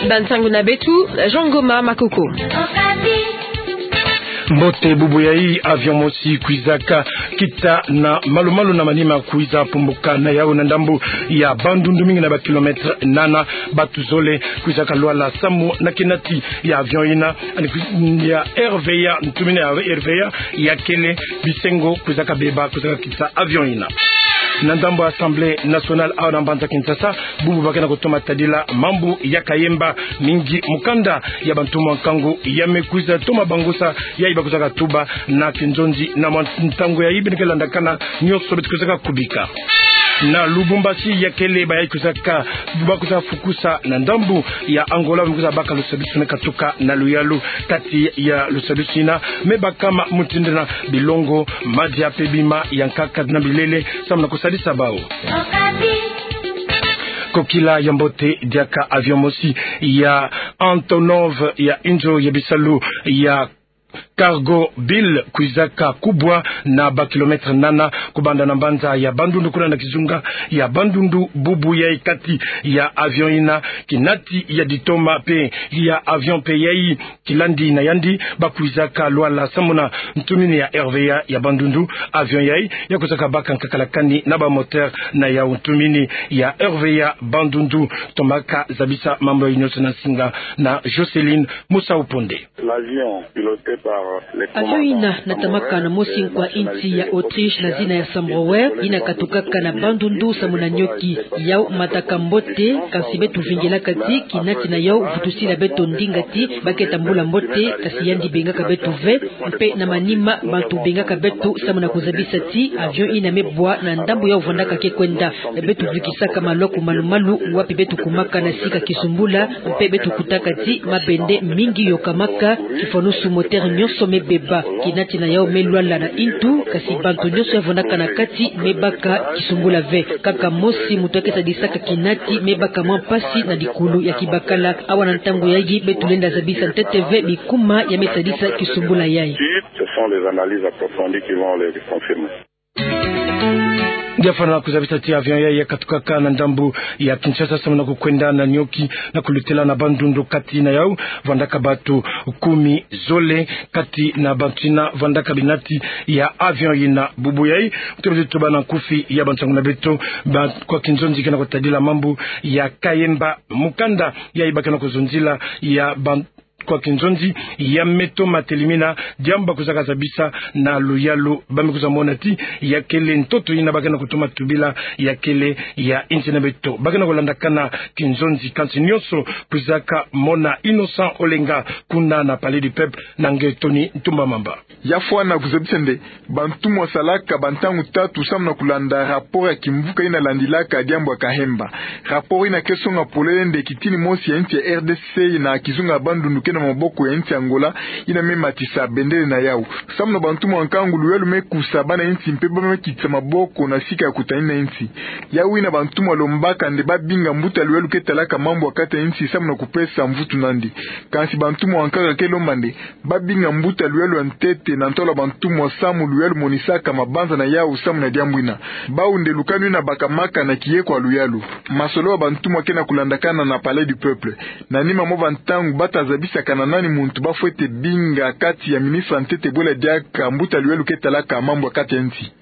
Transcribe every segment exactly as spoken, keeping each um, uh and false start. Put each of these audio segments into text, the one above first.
Bansangu na beto, Jean Ngoma Makoko. Mbote, bubu yayi avion mosi kwizaka kita na malu-malu na manima, kwiza pumbuka na yawu na ndambu ya Bandundu, mingi na ba kilomètre nana. Bato zole kwizaka lwala samu na kinati ya avion yina, ani kwi-, ya R V A, ntumini ya R V A ya kele bisengo kwizaka beba, kwizaka kita avion yina. Na ndambu ya Assemblée nationale awa na mbanza Kinshasa, bubu ba ke na kutoma tadila mambu ya Kayemba, mingi mukanda ya bantumwa nkangu ya me kwiza toma bangusa yayi ba kwizaka tuba na kinzonzi na mwa ntangu yayi. Beno ke landakana nionso beto kwizaka kubika. Na Lubumbashi, ya kele bayayi kwizaka, ba kwiza fukusa na ndambu ya Angola, ba me kwiza baka lusadisu me katuka na luyalu. Kati ya lusadisu yina me bakama mutindu na bilongo, madia mpe bima ya nkaka na bilele samu na kusadisa bawu. Kokila ya mbote, diaka avion mosi ya Antonov ya inzo ya bisalu ya Cargo Bill kwizaka kubwa na ba kilomètre nana kubanda na mbanza ya Bandundu kuna na kizunga ya Bandundu. Bubu yayi kati ya avion yina, kinati ya ditoma mpe ya avion mpe yayi kilandi na yandi, ba kwizaka lwala samu na ntumini ya R V A ya Bandundu. Avion yayi ya kwizaka baka nkakalakani na ba moteur na yawu ntumini ya R V A Bandundu. Tomaka zabisa mambu yayi nionso na nsinga na Jocelyne Musa Uponde. L'avion piloté par le Avion yina natamaka na mosi nkwa insi ya Autriche na zina ya Sambrower, yina katukaka na Bandundu samu na nioki. Yawu mataka mbote, kansi beto vingilaka ti kinati na yawu vutusila beto ndinga ti ba ke tambula mbote, kansi yandi bengaka beto ve, mpe na manima bantu bengaka beto samu na kuzabisa ti avion yina me bwa na ndambu yawu vwandaka ke kwenda. Beto vikisaka maloko malu-malu wapi beto kumaka na sika kisumbula, mpe beto kutaka ti mabende mingi yokamaka, kifwanusu moteur nionso me beba. Kinati na yawu me lwala na intu, kansi bantu nionso ya vwandaka na kati me baka kisumbula ve. Kaka mosi muntu ya ke sadisaka kinati me baka mwa mpasi na dikulu ya kibakala. Awa na ntangu yayi beto lenda zabisa ntete ve bikuma ya me sadisa kisumbula yayi. Ce sont les analyses approfondies qui vont les confirmer. Ngia fwana kuzabisa ti avion yayi ya katukaka na ndambu ya Kinshasa samu na kukwenda na nioki na kulutela na Bandundu. Kati na yawu vwandaka bato kumi zole, kati na bato yina vwandaka binati ya avion yina. Bubu yayi, beto lenda tuba na nkufi ya bansangu na beto, ba kwa kinzonzi ke na kutadila mambu ya Kayemba, mukanda yayi ba ke na kuzonzila ya ba kwa kinzonzi ya me toma telimina, diambu ba kwizaka zabisa na luyalu, ba me kwiza mona ti ya kele ntoto yina ba ke na kutoma tubila ya kele ya insi na beto. Ba ke na kulandakana kinzonzi, kansi nionso kwizaka mona Innocent Olenga kuna na Palais du Peuple na nge Tony Ntumba Mamba. Ya fwana kuzabisa nde bantumwa salaka bantangu tatu samu na kulanda rapport ya kimvuka yina landilaka diambu ya Kahemba. Rapport yina ke songa polele nde kitini mosi ya insi ya R D C na kizunga ya Bandundu ke na maboko ya insi Angola, yina me matisa bendele na yawu. Samu na bantumwa nkangu, luyalu me kusa bana insi mpe ba me kitisa maboko na sika ya kutanina insi. Yawu yina bantumwa lombaka nde ba binga mbuta luyalu ke talaka mambu ya kati ya insi samu na kupesa mvutu nandi. Kansi bantumwa nkaka ke lomba nde ba binga mbuta luyalu ya ntete na ntwala bantumwa samu luyalu monisaka mabanza na yawu samu na diambu yina. Bawu nde lukanu yina bakamaka na kiyeko ya luyalu. Masolo ya bantumwa ke na kulandakana na Palais du Peuple. Na nima mwa bantangu ba ta zabisaka na nani muntu ba fwete binga kati ya ministre ya ntete bwela diaka mbuta luyalu ke talaka mambu ya kati ya insi.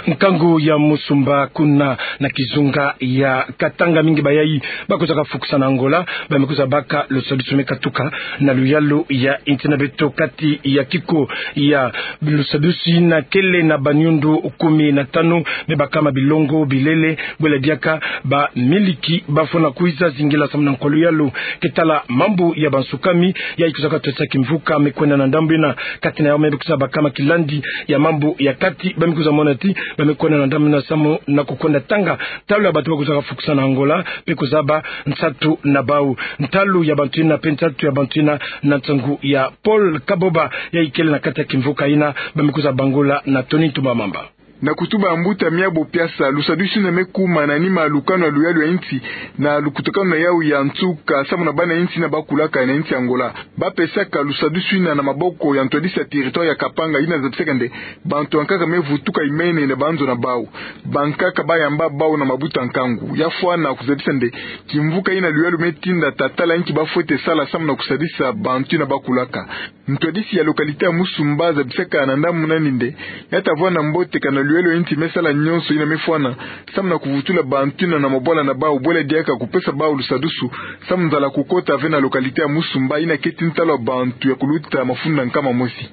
Nkangu ya Musumba kuna na kizunga ya Katanga, mingi bayayi ba kwizaka fukusa na Angola, ba me kwiza baka lusadisu me katuka na luyalu ya insi na beto. Kati ya kiko ya lusadisu yina kele na baniundu kumi na tanu me bakama bilongo, bilele, bwela diaka bamiliki ba fwana kwiza zingila samu na nkwa luyalu. Ke tala mambu ya bansukami yayi kwizaka twesa kimvuka me kwenda na ndambu yina. Kati na yawu me kwiza bakama kilandi ya mambu ya kati, ba me kwiza mona ti ba me kwenda na ndambu yina samu na kukwenda tanga ntalu ya bato ba kwizaka fukusa na Angola mpe kuzaba nsatu na bawu. Ntalu ya bantu yina mpe nsatu ya bantu yina na nsangu ya Paul Kaboba yayi kele na kati ya kimvuka yina, ba me kwiza bangula na Tony Ntumba Mamba. Na kutuba ya mbuta Miabo Piasa, lusadusu yina me kuma na nima ya lukanu ya luyalu ya insi na lukutakanu na yawu ya nsuka samu na bana insi yina bakulaka na insi Angola. Ba pesaka lusadusu yina na maboko ya ntwadisi ya territoire ya Kapanga, yina zabisaka nde bantu ya nkaka me vutuka imene na banzo na bawu. Bankaka ba yamba bawu na mabuta nkangu. Ya fwana kuzabisa nde kimvuka yina luyalu me tinda, ta tala inki ba fwete sala samu na kusadisa bantu yina bakulaka. Ntwadisi ya localité ya Musumba zabisaka na ndambu nani nde ya ta vwanda mbote kana luyalu ya insi me sala nyonso yina me fwana samu na kuvutula bantu yina na mabwala na bawu, bwela diaka kupesa bawu lusadusu samu nzala kukota ve na localité ya Musumba yina keti ntalu ya bantu ya kuluta mafunda nkama mosi.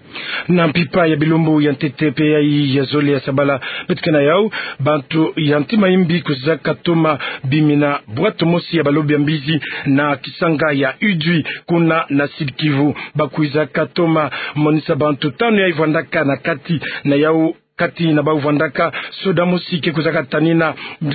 Na mpimpa ya bilumbu ya ntete pe yayi ya zole ya sabala beto ke na yawu, bantu ya ntima yimbi kwiza katoma bimina bwato mosi ya balobi ya mbizi na kisanga ya Idjwi, kuna na Sud-Kivu. Ba kwiza katoma monisa bantu tanu yayi vwandaka na kati na yawu. Kati na bawu vwandaka, soda mosi ke kwiza katanina,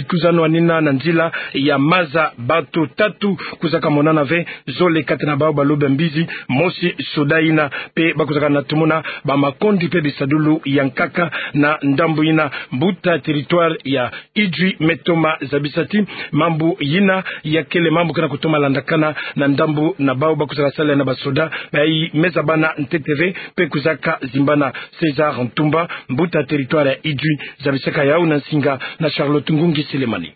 kwiza nwanina na nzila ya maza. Bato tatu kwiza kamonana ve, zole kati na bawu balobi ya mbizi, mosi soda yina. Pe ba kwiza kanatumuna bamakondi pe bisadulu ya nkaka na ndambu yina. Mbuta territoire ya Idjwi me toma zabisa ti mambu yina ya kele mambu ke na kutoma landakana na ndambu na bawu ba kwiza kasala na basoda, bayi me zabana ntete ve. Pe kwiza kazimbana. César Ntumba, mbuta territoire ya Idjwi, zabisaka yawu na nsinga na Charlotte Ngungi Selemani.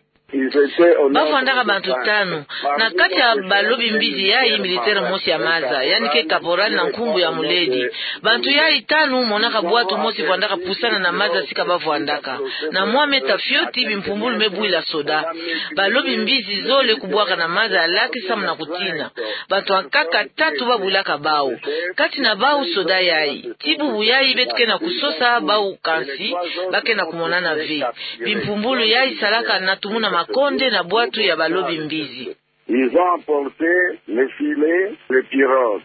Ba vwandaka bantu tanu. Na kati ya balobi mbizi yayi, militaire mosi ya maza, yandi ke caporal na nkumbu ya Muledi. Bantu yayi tanu monaka bwato mosi vwandaka pusana na maza sika ba vwandaka. Na mwa meta fioti, bimpumbulu me bwila soda. Balobi mbizi zole kubwaka na maza ya laki samu na kutina. Bantu ya nkaka tatu ba bwilaka bawu. Kati na bawu soda yayi. Ti bubu yayi beto ke na kusosa bawu, kansi ba ke na kumonana ve. Bimpumbulu yayi salaka natumuna makonde na bwato ya balobi mbizi. Ils ont emporté les filets, les pirogues.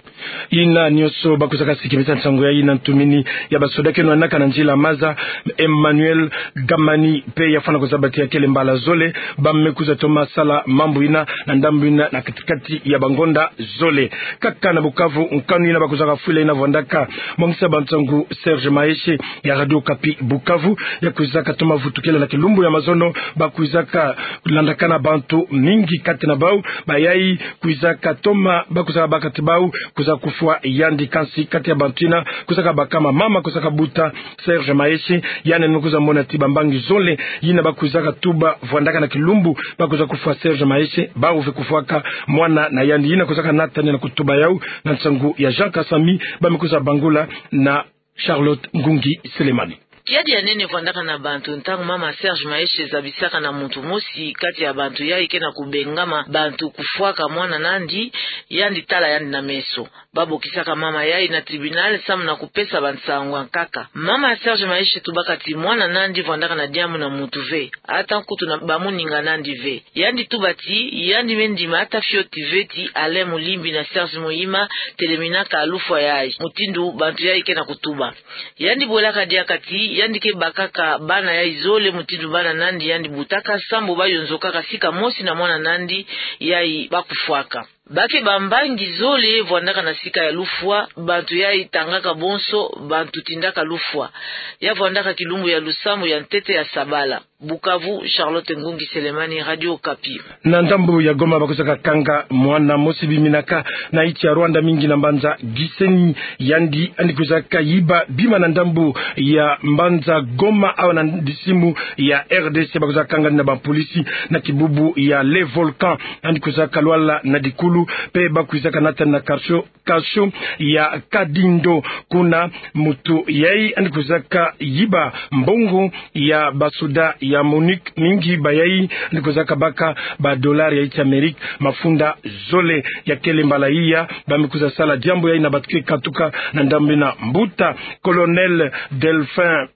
Yina nyonso ba kwiza kasikimisa nsangu yayi na ntumini ya basoda ke nwanaka na nzila maza, Emmanuel Gamani pe ya fwana kuzaba ti ya kele mbala zole ba me kwiza toma sala mambu yina na ndambu yina na kati kati ya bangonda zole. Kaka na Bukavu, nkanu yina ba kwiza kafwila yina vwandaka mongisa bansangu Serge Maeshe ya Radio Okapi Bukavu, ya kwiza katoma vutukila na kilumbu ya mazono. Ba kwiza kalandakana bantu mingi kati na bawu, bayayi kwiza katoma, ba kwiza kabaka ti bawu kwiza kufwa yandi, kansi kati ya bantu yina kwiza kabaka mama kwiza kabuta Serge Maeshe. Yandi yandi me kwiza mona ti bambangi zole yina ba kwiza katuba vwandaka na kilumbu ba kwiza kufwa Serge Maeshe, bawu ve kufwaka mwana na yandi. Yina kwiza kanata ni na kutuba yawu na nsangu ya Jean Kasami, ba me kwiza bangula na Charlotte Ngungi Selemani. Kiadi ya nene vwandaka na bantu ntangu mama Serge Maeshe zabisaka na muntu mosi kati ya bantu yayi ke na kubengama bantu kufwaka mwana nandi, yandi tala yandi na meso. Ba bokisaka mama yayi na tribunal samu na kupesa bansangu ya nkaka. Mama ya Serge Maeshe tubaka ti mwana nandi vwandaka na diambu na muntu ve, ata nkutu na bamuninga nandi ve. Yandi tuba ti yandi me ndima ata fioti ve ti Alain Mulimbi na Serge Muhima teleminaka lufwa yayi, mutindu bantu yayi ke na kutuba. Yandi bwelaka diaka ti yandi ke bakaka bana yayi zole mutindu bana nandi yandi butaka, sambu ba yonzokaka sika mosi na mwana nandi yayi ba kufwaka. Ba ke bambangi zole vwandaka na sika ya lufwa, bantu yayi tangaka bonso bantu tindaka lufwa. Ya vwandaka kilumbu ya lusambu ya ntete ya sabala. Bukavu, Charlotte Ngungi Selemani, Radio Okapi. Na ndambu ya Goma, ba kwiza kakanga mwana mosi biminaka na insi ya Rwanda, mingi na mbanza Gisenyi. Yandi yandi kwiza kayiba bima na ndambu ya mbanza Goma, awa na disimu ya R D C. Ba kwiza kanga yandi na bapolisi na kibubu ya Le Volcan. Yandi kwiza kalwala na dikulu, pe ba kwiza kanata yandi na kasho, kasho ya Kadindo. Kuna muntu yayi yandi kwiza kayiba mbongo ya basoda ya MONUC, mingi bayayi yandi kwiza kabaka ba dollars ya insi Amerika mafunda zole. Ya kele mbala iya ba me kwiza sala diambu yayi na bantu ke katuka na ndambu yina. Mbuta Colonel Delphin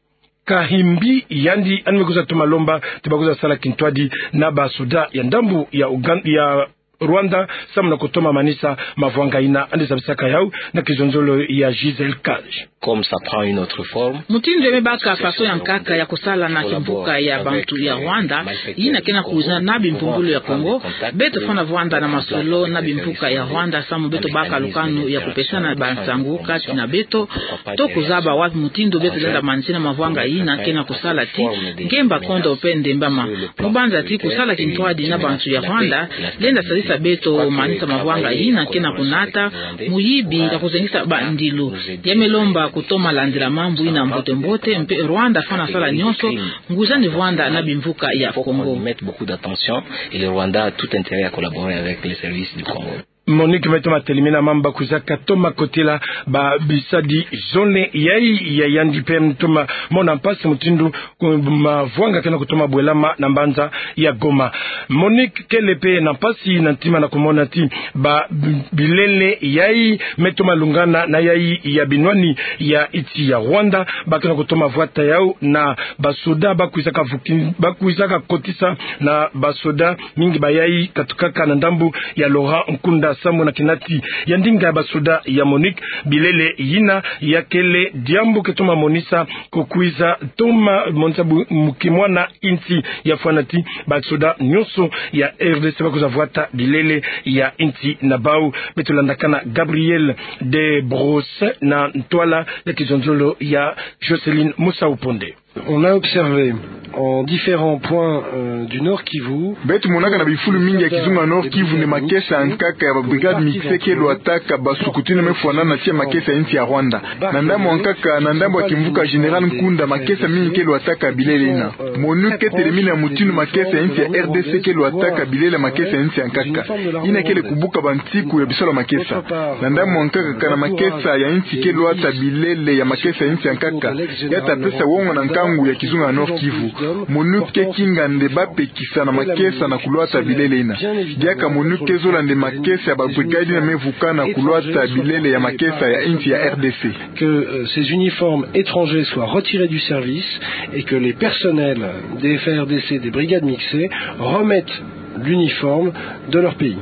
Kahimbi, yandi yandi me kwiza toma lomba ti ba kwiza sala kintwadi na basoda ya ndambu ya Ugan-, ya Rwanda, samu na kutoma manisa mavwanga ina. Yandi zabisaka yau na kizonzolo ya Gisèle Cage. Comme ça prend une autre forme. Mutindu ya me baka faso ya nkaka ya kusala na kimvuka ya bantu ya Rwanda, yina ke na kuza na bimpumbulu ya Kongo, beto fwana vwanda na masolo na bimvuka ya Rwanda, samu beto baka lukanu ya kupesana bansangu kati na beto, to kuzaba wapi mutindu beto lenda manisina mavwanga yina ke na kusala ti nkemba kondo pe ndembama. Mu banza ti kusala kintwadi na bantu ya Rwanda lenda salisa beto manisa mavwanga yina ke na kunata muyibi ya kuzengisa bandilu. Ya me lomba kutoma landila mambu yina mbote mbote, mpe Rwanda fwana sala nyonso nguza ni vwanda na bimvuka ya Kongo. Faut qu'on y mette beaucoup d'attention et le Rwanda a tout intérêt à collaborer avec les services du Congo. Monique, me toma telimina mambu ba kwizaka toma kotila ba bisadi zole yayi ya yandi pe toma mona mpasi mutindu ku-, mavwanga ke na kutoma bwelama na mbanza ya Goma. Monique, kele pe na mpasi na ntima na kumona ti ba bi-, bilele yayi me toma lungana na yayi ya binwani ya insi ya Rwanda, ba ke na kutoma vwata yau na basoda ba kwizaka vuki-, ba kwizaka kotisa na basoda mingi bayayi katukaka na ndambu ya Laurent Nkunda, samu na kinati ya ndinga ya basoda ya Monique, bilele yina ya kele diambu ke toma monisa, kukwiza toma monisa bu-, mu kimwana insi ya fwana ti basoda nyonso ya R D C ba kwiza vwata bilele ya insi na bau. Beto landakana Gabriel de Brosse na ntwala ya kizonzolo ya Jocelyne Musau Ponde. On a observé en différents points, euh, du Nord-Kivu. Beto monaka na bifulu mingi ya kizunga Nord-Kivu nde makesa ya nkaka ya ba brigade mixte ke lwataka basukuti na me fwanana tia makesa ya insi ya Rwanda. Na ndambu ya nkaka, na ndambu ya kimvuka Général Nkunda, makesa mingi ke lwataka bilele yina. MONUC ke telemina mutindu makesa ya insi ya R D C ke lwataka bilele makesa ya insi ya nkaka. Yina kele kubuka bansiku ya bisalu ya makesa. Na ndambu ya nkaka, kana makesa ya insi ke lwata bilele ya makesa ya insi ya nkaka, ya ta pesa wonga na nkangu ya kizunga ya Nord-Kivu. MONUC ke kinga nde ba pekisa na makesa na kulwata bilele yina. Diaka MONUC ke zola nde makesa ya ba brigade yina me vukana kulwata bilele ya makesa ya insi ya R D C. Que, euh, ces uniformes étrangers soient retirés du service et que les personnels des F A R D C, des brigades mixées, remettent l'uniforme de leur pays.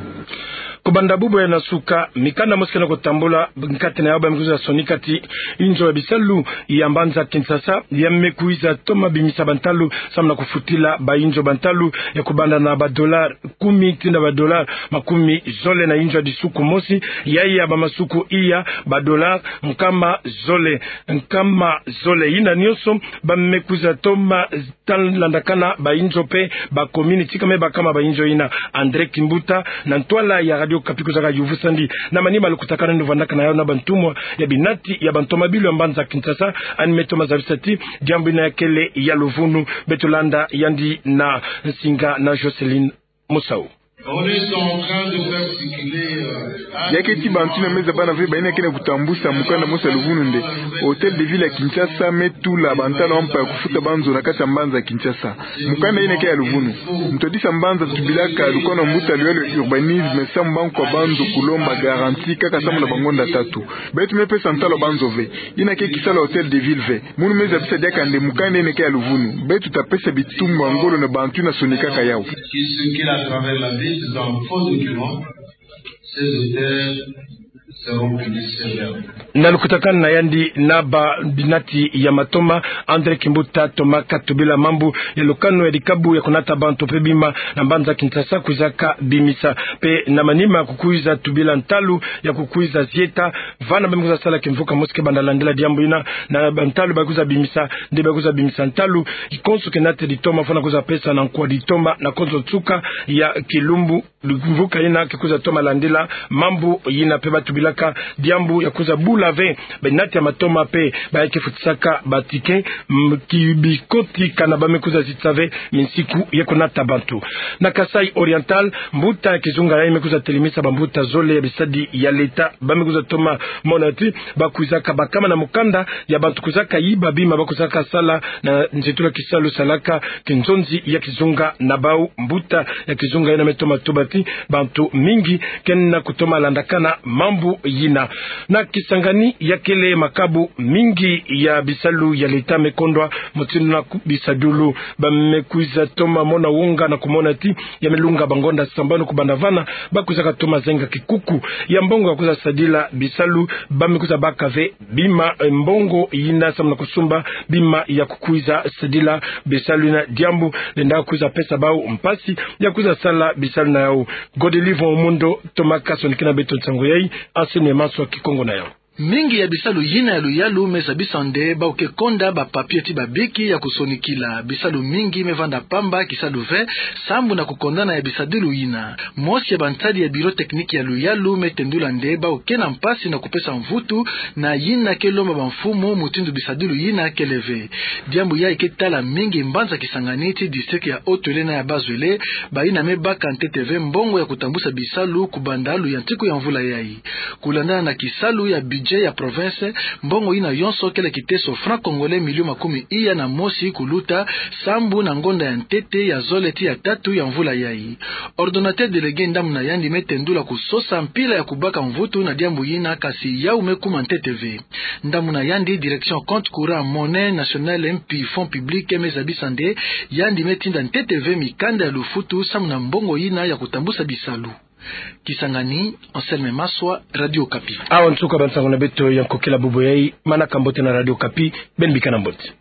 Kubanda bubu ya na suka, mikanda mosi ke na kutambula nkati na yau ba me kwiza sonika ti inzo ya bisalu ya mbanza Kinshasa ya me kwiza toma bimisa bantalu samu na kufutila ba inzo bantalu ya kubanda na ba dollars kumi tii na ba dollars makumi zole na inzo ya disuku mosi, ya ya ba masuku iya ba dollars nkama zole, nkama zole. Yina nyonso ba me kwiza toma tala landakana ba inzo pe ba commune tika me bakama ba inzo yina. André Kimbuta, na ntwala ya Radio Okapi, kwizaka yuvusandi na manima lukutakanu yandi vandaka na yau na bantumwa ya binati ya bantomabilu ya mbanza Kinshasa, yandi me toma zabisa ti diambu yina ya kele ya luvunu. Beto landa yandi na nsinga na Jocelyne Musau. On est en train de faire circuler, euh, un... Ya keti bantu yina me zabana ve ba yina ke na kutambusa mukanda mosi ya luvunu nde Hôtel de Ville ya Kinshasa me tula bantalu ya mpa ya kufuta banzo na kati ya mbanza Kinshasa. Mukanda yina ke ya luvunu. Ntwadisa mbanza tubilaka lukanu ya mbuta luyalo ya urbanisme samu bankwa banzo kulomba garantie kaka samu na bangonda tatu. Beto me pesa ntalu ya banzo ve. Yina ke kisalu ya Hôtel de Ville ve. Munu me zabisa diaka nde mukanda yina ke ya luvunu. Beto ta pesa bitumbu ya ngolo na bantu yina sonikaka yau. Qui circulent à travers la ville dans faux documents, ces auteurs seront punis sévèrement. Na lukutakanu na yandi na ba binati ya matoma, André Kimbuta toma katubila mambu ya lukanu ya dikabu ya kunata bantu pe bima na mbanza Kinshasa kwizaka bimisa. Pe na manima kukwiza tubila ntalu ya kukwiza zieta vana ba me kwiza sala kimvuka mosi ke banda landila diambu yina, na bantalu ba kwiza bimisa, nde ba kwiza bimisa ntalu, kikonso ke nate ditoma fwana kwiza pesa na nkwa ditoma na konso nsuka ya kilumbu. Mvuka yina ke kwiza toma landila mambu yina pe ba tubilaka diambu ya kwiza bula ve binati ya matoma pe ba ya ke futisaka ba ticket, mm, ki bikoti kana ba me kwiza zitisa ve minsiku ya kunata bantu. Na Kasaï Oriental, mbuta ya kizunga yayi me kwiza telemisa bambuta zole ya bisadi ya leta, ba me kwiza toma mona ti ba kwizaka bakama na mukanda ya bantu kwizaka yiba bima ba kwizaka sala na nzitulu ya kisalu salaka kinzonzi ya kizunga na bau. Mbuta ya kizunga yina me toma tuba ti bantu mingi ke na kutoma landakana mambu yina. Na Kisangani, ya kele makabu, mingi ya bisalu ya leta me kondwa mutindu na ku-, bisadulu. Ba me kwiza toma mona wonga na kumona ti ya me lunga bangonda sambanu kubanda vana, ba kwizaka toma zenga kikuku ya mbongo ya kwiza sadila bisalu. Ba me kwiza baka ve bima, eh, mbongo yina samu na kusumba bima ya kukwiza sadila bisalu yina, diambu lenda kwiza pesa bau mpasi ya kwiza sala bisalu na yau. Godelive Omundo, toma kasonikina beto nsangu yai, Anselme Maswa Kikongo na yau. Mingi ya bisalu yina ya luyalu me zabisa nde bau ke konda ba papier ti babiki ya kusonikila. Bisalu mingi me vanda pamba, kisalu ve, sambu na kukondana ya bisadulu yina. Mosi ya bantadi ya bureau technique ya luyalu me tendula nde bau ke na mpasi na kupesa mvutu na yina ke lomba bamfumu mutindu bisadulu yina kele ve. Diambu yai ke tala mingi mbanza Kisangani ti district ya Haut-Uele na ya Bas-Uele, bayina me baka ntete ve mbongo ya kutambusa bisalu kubanda luyantiku ya mvula yai. Kulandana na kisalu ya budget ya province, mbongo yina yonso kele kiteso franc congolais million makumi iya na mosi kuluta, sambu na ngonda ya ntete ya zole ti ya tatu ya mvula yai. Ordonnateur délégué, ndambu na yandi, me tendula kusosa mpila ya kubaka mvutu na diambu yina, kasi yau me kuma ntete ve. Ndambu na yandi, direction compte courant, monnaie nationale mpi fonds public, me zabisa nde yandi me tinda ntete ve mikanda ya lufutu samu na mbongo yina ya kutambusa bisalu. Kisangani, Anselme Maswa, Radio Okapi. Awa nsuka bansangu na beto ya nkokila bubu yai. Manaka mbote na Radio Okapi, beno bika na mbote.